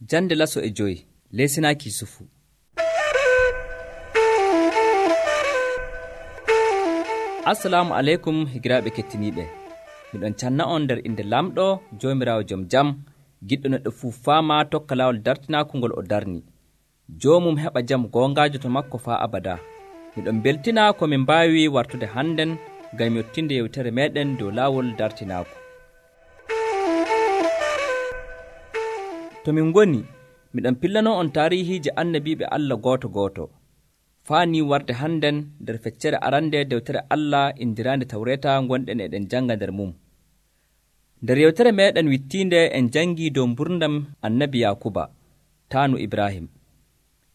Jande laso e joyi lesinaaki Yusufu. Assalamu aleykum higiraaɓe kettiniiɓe. Miɗon canna on nder inde lamɗo joomiraawo jom jam, giɗɗo neɗɗo fuu faama tokka laawol dartinaaku ngol o darni. Joomum heɓa jam goongaajo to makko faa abada. Miɗon beltina ko min mbaawi wartude hannden ngam yottinde yewtere meeɗen dow laawol dartinaaku. To min ngoni, miɗon pillanoo on taarihiije annabiiɓe Allah gooto. Faani warde hannden nder feccere arande dewtere Allah indiraande Tawreeta gonɗen eɗen janga nder mum. Nder yewtere meeɗen wittiinde en jangii dow mburdam annabi Yakuba, taanu Ibrahim.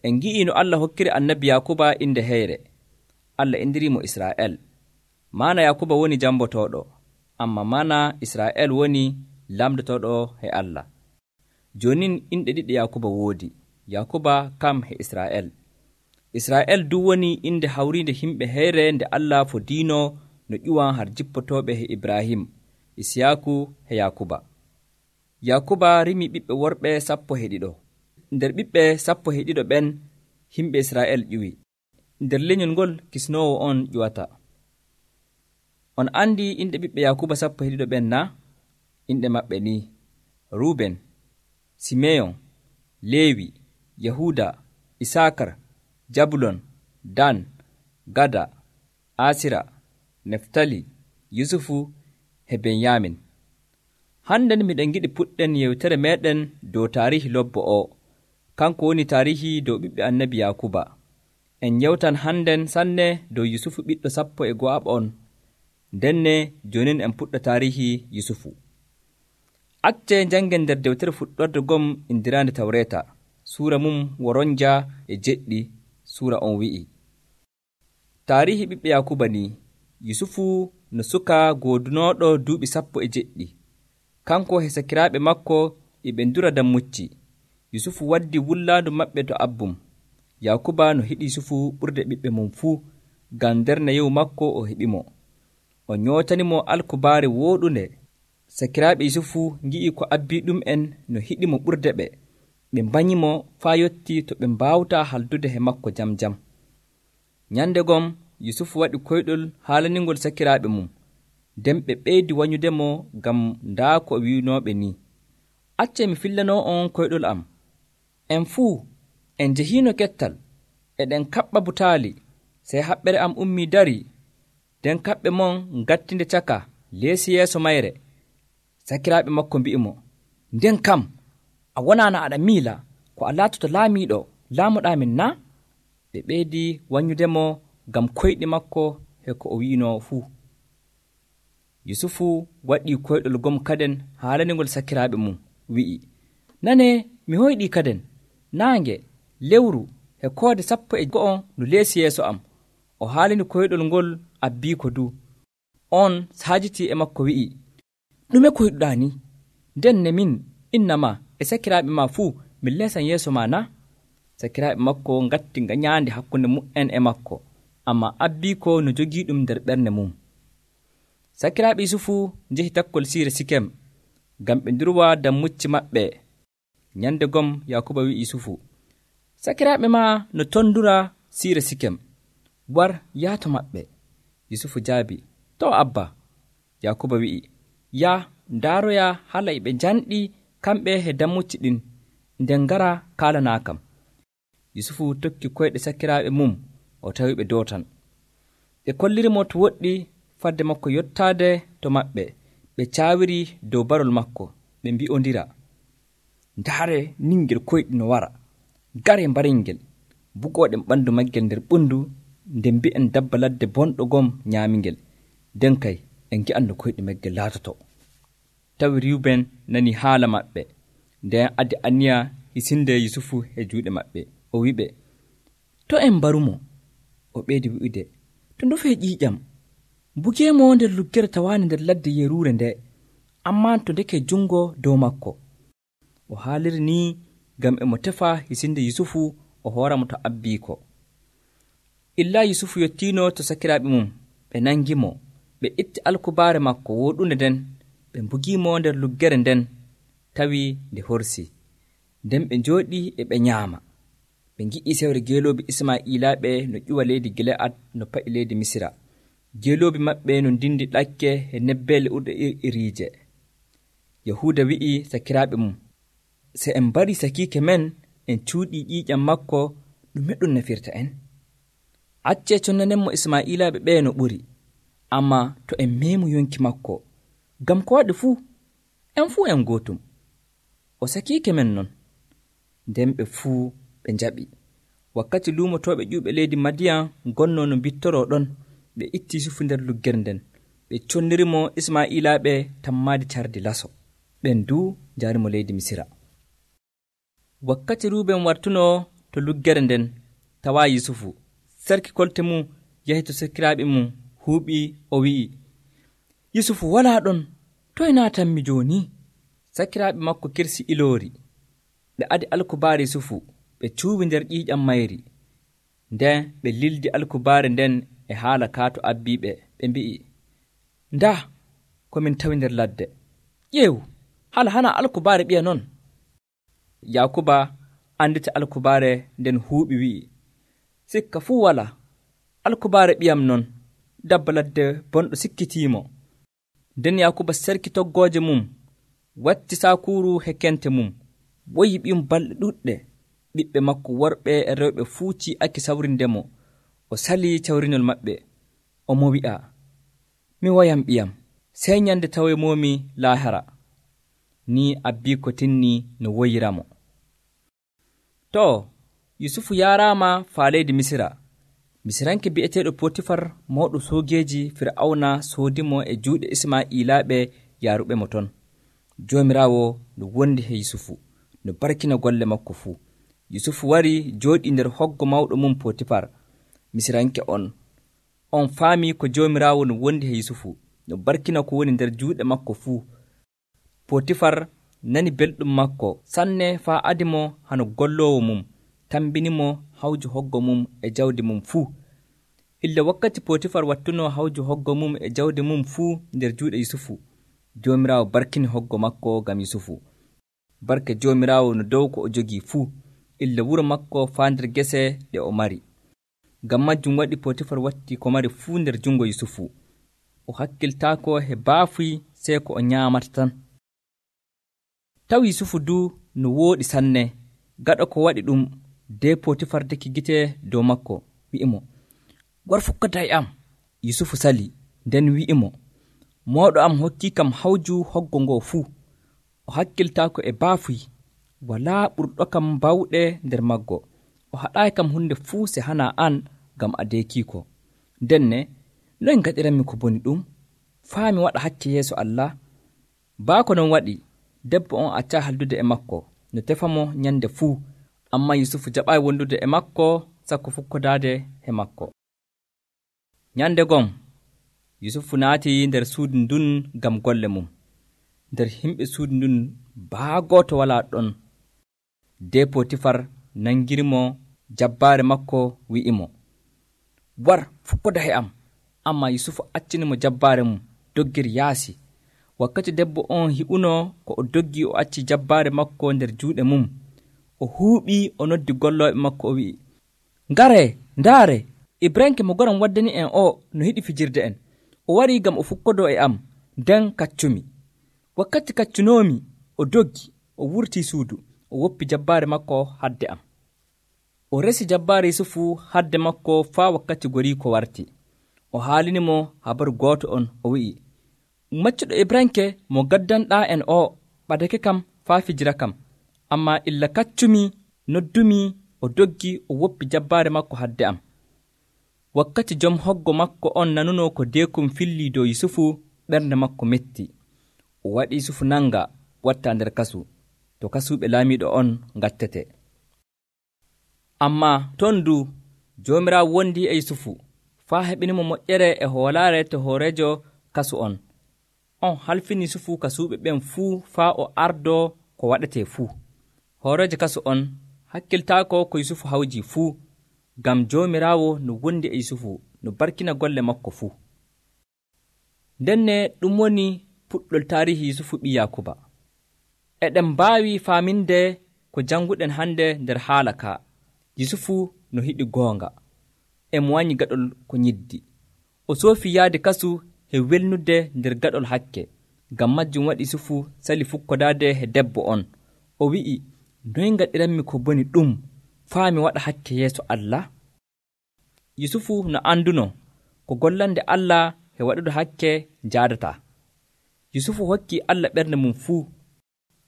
En ngi'ii no Allah hokkiri annabi Yakuba inde heyre. Allah indirimo Israa'el. Maana Yakuba woni jambotooɗo, amma maana Israa'el woni lamdotooɗo he Allah. Jonin inɗe ɗiɗi Yakuba woodi, Yakuba kam he Israa'el. Israa'el du woni inde hawriinde himɓe heyre nde Allah fodiino no ƴuwan har jippotooɓe he Ibrahim, Isiyaku he Yakuba. Yakuba rimi ɓiɓɓe worɓe 12. Nder ɓiɓɓe 12 ɓen himɓe Israa'el ƴuwi. Nder lenyol ngol kisnoowo on ƴuwata. On andi inde ɓiɓɓe Yakuba 12 ɓen na? Inde maɓɓe ni: Ruben, Simeyon, Lewi, Yahuda, Isakar, Jabulon, Dan, Gada, Asira, Neftali, Yusufu he Benyamin. Hannden miɗen giɗi puɗɗen yewtere meeɗen dow taarihi lobbo o, kanko woni taarihi dow ɓiɓɓe annabi Yakuba. En yewtan hannden sanne dow Yusufu ɓiɗɗo 12 ndenne jonin en puɗɗa taarihi Yusufu. Acce jangen nder dewtere fuɗɗorde gom indiraande Tawreeta, suura mum woronja e jeɗɗi. Suura on wi'i: taarihi ɓiɓɓe Yakuba ni, Yusufu no suka goodunooɗo duuɓi 17. Kanko he sakiraaɓe makko eɓe ndura dammucci. Yusufu waddi wullaandu maɓɓe to abbum. Yakuba no hiɗi Yusufu ɓurde ɓiɓɓe mum fuu, ngam nder nayewu makko o heɓimo. O nyootanimo alkubaare wooɗunde. Sakiraaɓe Yusufu ngi'i ko abbii ɗum'en no hiɗimo ɓurde ɓe. Ɓe mbanyimo faa yotti to ɓe mbaawtaa haldude he makko jam. Nyande gom Yusufu waɗi koyɗol haalaningol sakiraaɓe mum, nden ɓe ɓeydi wanyudemo ngam ndaa ko wi'unooɓe ni: acce mi fillanoo on koyɗol am. En fuu en njehiino kettal, eɗen kaɓɓa butaali, sey haɓɓere am ummii dari, nden kaɓɓe mon ngattinde caka leesi yeeso mayre. Sakiraaɓe makko mbi'imo: nden kam a wonaano aɗa miila ko a laatoto laamiiɗo laamuɗaamin na? Ɓe ɓeydi wanyudemo ngam koyɗi makko he ko o wi'inoo fuu. Yusufu waɗii koyɗol gom kaden haalaningol sakiraaɓe mum, wi'i: nane, mi hoyɗii kaden naange, lewru he koode 12 no leesi yeeso am. O haalini koyɗol ngol abbiiko du. On saajitii e makko wi'i: ɗume koyɗuɗaa ni? Nden ne min inna ma e sakiraaɓe ma fuu min leesan yeeso ma na? Sakiraaɓe makko ngatti ngañaandi hakkunde mu'en e makko, amma abbiiko no jogii ɗum nder ɓernde mum. Sakiraaɓe Yusufu njehi takkol siire Sikem ngam ɓe ndurwa dammucci maɓɓe. Nyande gom Yakuba wi'i Yusufu: sakiraaɓe ma no ton ndura siire Sikem, war yaato maɓɓe. Yusufu jaabi: to abba. Yakuba wi'i: ya ndaaroya hala e ɓe janɗi kamɓe he dammucci ɗin, nden ngara kaalanaakam. Yusufu tokki koyɗe sakiraaɓe mum, o tawi ɓe dootan. Ɓe kollirimo to woɗɗi fadde makko yottaade to maɓɓe. Ɓe caawiri dow barol makko, ɓe mbi'ondira: ndaare ningel koyɗi no wara, gare mbaringel, bugooɗen ɓanndu maggel nder ɓundu, nden mbi'en dabba ladde bonɗo gom nyaamingel, nden kay en ngi'an no koyɗi maggel laatoto. Tawi Ruben nani haala maɓɓe, nden addi aniya hisinde Yusufu e juuɗe maɓɓe. O wiɓe: to en mbarumo. O ɓeydi wi'ude: to ndofee ƴiiƴam, bugeemo nder luggere tawaani nder ladde yeruure nde, amma to ndeke jungo dow makko. O haaliri ni ngam emo tefa hisinde Yusufu o hooramo to abbiiko. Illa Yusufu yottiino to sakiraaɓe mum, ɓe nangimo, ɓe itti alkubaare makko wooɗunde nden, ɓe mbugiimo nder luggere nden, tawi nde horsi. nden ɓe njooɗii e ɓe nyaama. Ɓe ngi'ii sewre geeloobi Ismaa'ilaaɓe no ƴuwa leydi Gileyad no pa'i leydi Misira. Geeloobi maɓɓe no ndindi ɗakke e nebbeele urɗe iriije. Yahuuda wi'i sakiraaɓe mum, so en mbarii sakiike men en cuuɗii ƴiiƴam makko, ɗume ɗum nafirta en? Accee connanenmo Ismaa'ilaaɓe ɓee no ɓuri, ammaa to en meemu yonki makko, ngam ko waɗi fuu, en fuu en gootum. O sakiike men non. Nden ɓe fuu ɓe njaɓi. Wakkati luumotooɓe ƴuuɓe leydi Madiyan ngonnoo no mbittoroo ɗon, ɓe itti Yusufu nder luggere nden. Ɓe connirimo Ismaa'ilaaɓe tammaadi cardi laso. Ɓen duu njaarimo leydi Misira. Wakkati Ruuben wartunoo to luggere nden tawaa Yusufu, sarki kolte mum yahi to sakiraaɓe mum huuɓii, o wi'i, Yusufu walaa ɗon, toye naatanmi jooni? Sakiraaɓe makko kirsi iloori. Ɓe adi alkubaare Yusufu, ɓe cuuwi nder ƴiiƴam mayri. Nden ɓe lildi alkubaare nden e haala kaato abbiiɓe, ɓe mbi'i, ndaa ko min tawi nder ladde. Ƴeew, hala hana alkubaare ɓiya non. Yaakuba andita alkubaare nden huuɓi wi'i, sikka fuu walaa, alkubaare ɓiyam non, dabba ladde bonɗo sikkitiimo. Nden Yaakuba serki toggooje mum, watti saakuuru he kente mum, woyi ɓiyum balɗe ɗuɗɗe. Ɓiɓɓe makko worɓe e rewɓe fuu ci'aki sawrindemo. O salii cawrinol maɓɓe, omo wi'a, mi woyam ɓiyam, sey nyande tawemomi laahara. Ni abbii ko tinni no woyiramo. To, Yusufu yaaraama faa leydi Misira. Misiranke bi'eteeɗo Potifar mawɗo soogeeji Fir'awna soodimo e juuɗe Ismaa'ilaaɓe yaaruɓe mo ton. Joomiraawo no wondi he Yusufu, no barkina golle makko fuu. Yusufu wari jooɗii nder hoggo mawɗo mum Potifar. Misiranke on faamii ko Joomiraawo no wondi he Yusufu, no barkina ko woni nder juuɗe makko fuu. Potifar nani belɗum makko sanne faa adimo hano golloowo mum, tambinimo hawju hoggo mum e jawdi mum fuu. Illa wakkati Potifar wattunoo hawju hoggo mum e jawdi mum fuu nder juuɗe Yusufu, Joomiraawo barkini hoggo makko ngam Yusufu. Barka Joomiraawo no dow ko o jogii fuu, illa wuro makko faa nder gese ɗe o mari. Ngam majjum waɗi Potifar watti ko mari fuu nder jungo Yusufu. O hakkiltaako he baafuy sey ko o nyaamata tan. Tawi Yusufu duu no wooɗi sanne, gaɗa ko waɗi ɗum, de Potifar deki gite dow makko, wi'imo, war fukkaday am. Yusufu sali, nden wi'imo, mawɗo am hokki kam hawju hoggo ngo fuu. O hakkiltaako e baafuy, walaa ɓurɗo kam bawɗe nder maggo. O haɗaayi kam hunde fuu se hana an, ngam a deekiiko. Denne, noy ngaɗiranmi ko boni ɗum? Faa mi waɗa hakke yeeso Allah. Baako non waɗi, debbo on accaa haldude e makko, no tefamo nyande fuu. Amma Yusufu jaɓaayi wondude e makko, sakko fukkodaade he makko. Nyande gon, Yusufu naati nder suudu ndun ngam golle mum. Nder himɓe suudu ndun baa gooto walaa ɗon. De Potifar nangirimo jabbaare makko, wi'imo, war fukkoda he am. Amma Yusufu accinimo jabbaare mum, doggiri yaasi. Wakkati debbo on hi'unoo ko o doggi, o acci jabbaare makko nder juuɗe mum. O huuɓii, o noddi gollooɓe makko, o wi'i, ngare, ndaare, Ibranke mo goram waddani en o no hiɗi fijirde en. O warii ngam o fukkodoo e am, nden kaccumi. Wakkati kaccunoomi, o doggi, o wurtii suudu, o woppi jabbaare makko hadde am. O resi jabbaare Yusufu hadde makko faa wakkati gorii ko warti. O haalinimo habaru gooto on, o wi'i, maccuɗo Ibranke mo gaddanɗaa en o ɓadake kam faa fijira kam, amma illa kaccumi, noddumi, o doggi, o woppi jabbaare makko hadde am. Wakkati jom hoggo makko on nanunoo ko deekum fillii dow Yusufu, ɓernde makko metti. O waɗi Yusufu nanga watta nder kasu, to kasuɓe laamiiɗo on ngattete. Amma ton du Joomiraawo wondi e Yusufu, faa heɓinimo moƴƴere e hoolaare to hoorejo kasu on. On halfini Yusufu kasuɓe ɓen fuu faa o ardoo ko waɗetee fuu. Hoorejo kasu on hakkiltaako ko Yusufu hawji fuu, ngam Joomiraawo no wondi e Yusufu, no barkina golle makko fuu. Ndenne ɗum woni puɗɗol taarihi Yusufu ɓii Yaakuba. Eɗen mbaawi faaminde ko janguɗen hande nder haala ka. Yusufu no hiɗi goonga, e mo wanyi gaɗol ko nyiddi. O soofi yaade kasu he welnude nder gaɗol hakke. Ngam majjum waɗi Yusufu sali fukkodaade he debbo on. O wi'i, noy ngaɗiranmi ko boni ɗum faa mi waɗa hakke yeeso Allah? Yusufu no anduno ko gollande Allah he waɗude hakke jaadata. Yusufu hokki Allah ɓernde mum fuu.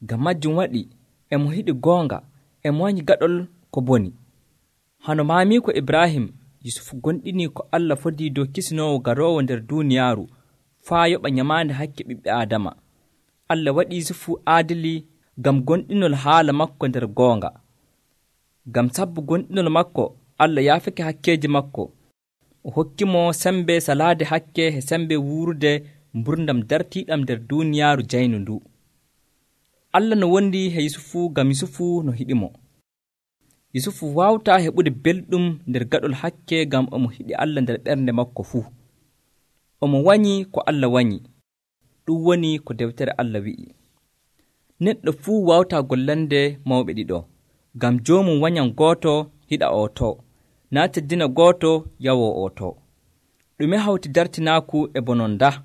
Ngam majjum waɗi e mo hiɗi goonga, e mo wanyi gaɗol ko boni. Hano maamiiko Ibrahim, Yusufu gonɗini ko Allah fodii dow kisinoowo garoowo nder duuniyaaru faa yoɓa nyamaande hakke ɓiɓɓe Aadama. Allah waɗi Yusufu aadili ngam gonɗinol haala makko nder goonga. Ngam sabbu gonɗinol makko, Allah yaafake hakkeeji makko. O hokkimo sembe salaade hakke e sembe wuurde mburdam dartiiɗam nder duuniyaaru jaynu ndu. Allah no wondi he Yusufu ngam Yusufu no hiɗimo. Yusufu waawtaa heɓude belɗum nder gaɗol hakke ngam omo hiɗi Allah nder ɓernde makko fuu. Omo wanyi ko Allah wanyi. Ɗum woni ko dewtere Allah wi'i. Neɗɗo fuu waawtaa gollande mawɓe ɗiɗo, ngam joomum wanyan gooto hiɗa o to, naa teddina gooto yawoo o to. Ɗume hawti dartinaaku e bononda?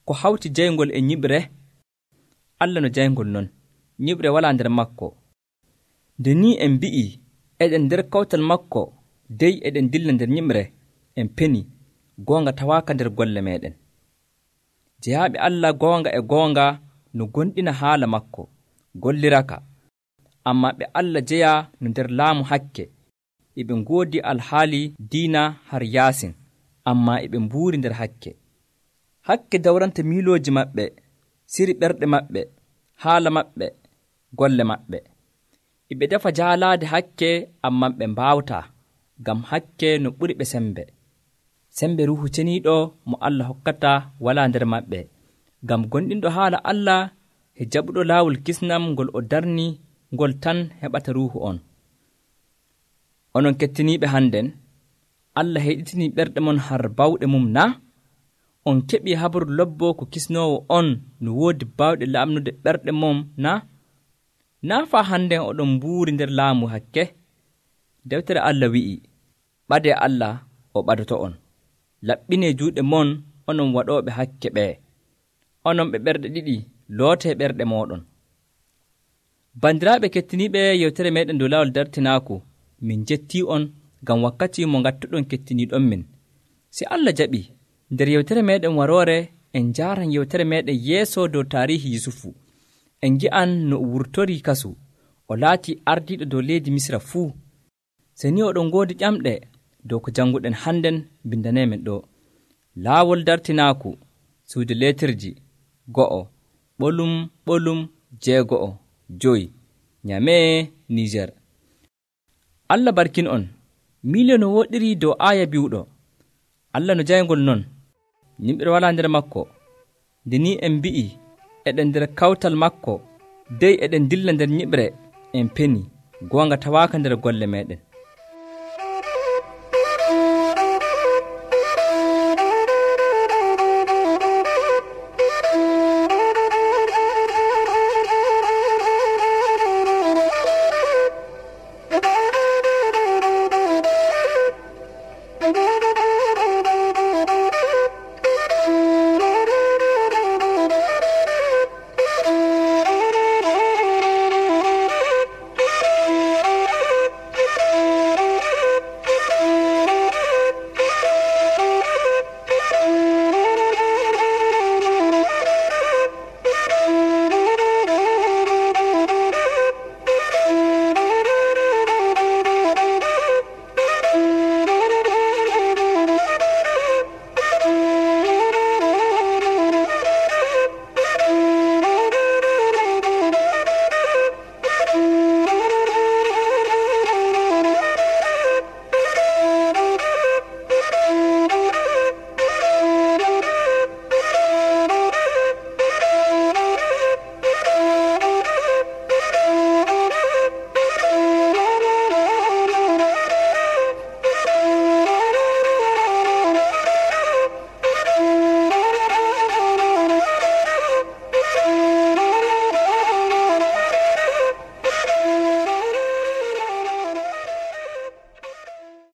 Ko hawti jayngol e nyiɓre? Allah no jayngol non, nyiɓre walaa nder makko. Nde ni en mbi'i eɗen nder kawtal makko, dey eɗen dilla nder nyiɓre, en peni goonga tawaaka nder golle meɗen. Jeyaaɓe Allah goonga e goonga no gonɗina haala makko, golliraka. Ammaa ɓe Allah jeya no nder laamu hakke, eɓe ngoodi alhaali diina har yaasin, ammaa eɓe mbuuri nder hakke. Hakke dawranta miilooji maɓɓe, siri ɓerɗe maɓɓe, haala maɓɓe, golle maɓɓe. Eɓe defa jaalaade hakke, ammaa ɓe mbaawtaa, ngam hakke no ɓuri ɓe sembe. Sembe Ruuhu Ceniiɗo mo Allah hokkata walaa nder maɓɓe, ngam gonɗinɗo haala Allah e jaɓuɗo laawol kisnam ngol o darni ngol tan heɓata ruuhu on. Onon kettiniiɓe hannden, Allah heɗitinii ɓerɗe mon har bawɗe mum na? On keɓii habaru lobbo ko kisnoowo on no woodi baawɗe laamnude ɓerɗe mum na? Naa faa hannden oɗon mbuuri nder laamu hakke? Dewtere Allah wi'i, ɓadee Allah o ɓadoto on. Laɓɓinee juuɗe mon, onon waɗooɓe hakke ɓee. Onon ɓe ɓerɗe ɗiɗi, lootee ɓerɗe mooɗon. Bandiraaɓe kettiniiɓe yewtere meeɗen dow laawol dartinaaku, min jettii on ngam wakkati mo ngattuɗon kettiniiɗon min. Si Allah jaɓi, nder yewtere meeɗen waroore en njaaran yewtere meeɗen yeeso dow taarihi Yusufu. En ngi'an no o wurtorii kasu, o laatii ardiiɗo dow leydi Misra fuu. Se ni oɗon ngoodi ƴamɗe dow ko jannguɗen hannden bindaneemen ɗo. Laawol dartinaaku, suudu leetirji, 1 ɓolum ɓolum 6 Nyamee, Niger. Allah barkin on. Miilio no woɗiri dow aaya biwɗo. Allah no jayngol non, yimɓe walaa nder makko. Nde ni en mbi'i eɗen nder kawtal makko, dey eɗen dilla nder nyiɓre, en peni goonga tawaaka nder golle meɗen.